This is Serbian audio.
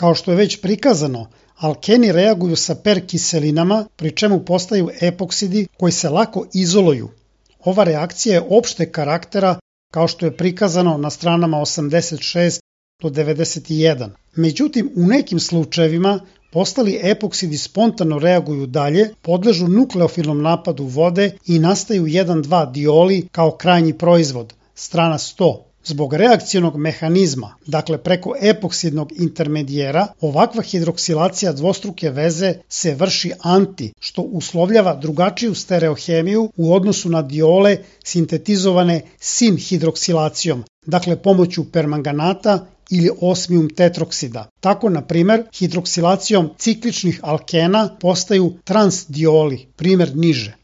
Kao što je već prikazano, alkeni reaguju sa perkiselinama, pri čemu postaju epoksidi koji se lako izoluju. Ova reakcija je opšte karaktera, kao što je prikazano na stranama 86 do 91. Međutim, u nekim slučajevima postali epoksidi spontano reaguju dalje, podležu nukleofilnom napadu vode i nastaju 1,2 dioli kao krajnji proizvod, strana 100. Zbog reakcionog mehanizma, dakle preko epoksidnog intermedijera, ovakva hidroksilacija dvostruke veze se vrši anti, što uslovljava drugačiju stereohemiju u odnosu na diole sintetizovane sin-hidroksilacijom, dakle pomoću permanganata ili osmium tetroksida. Tako, na primer, hidroksilacijom cikličnih alkena postaju transdioli, primer niže.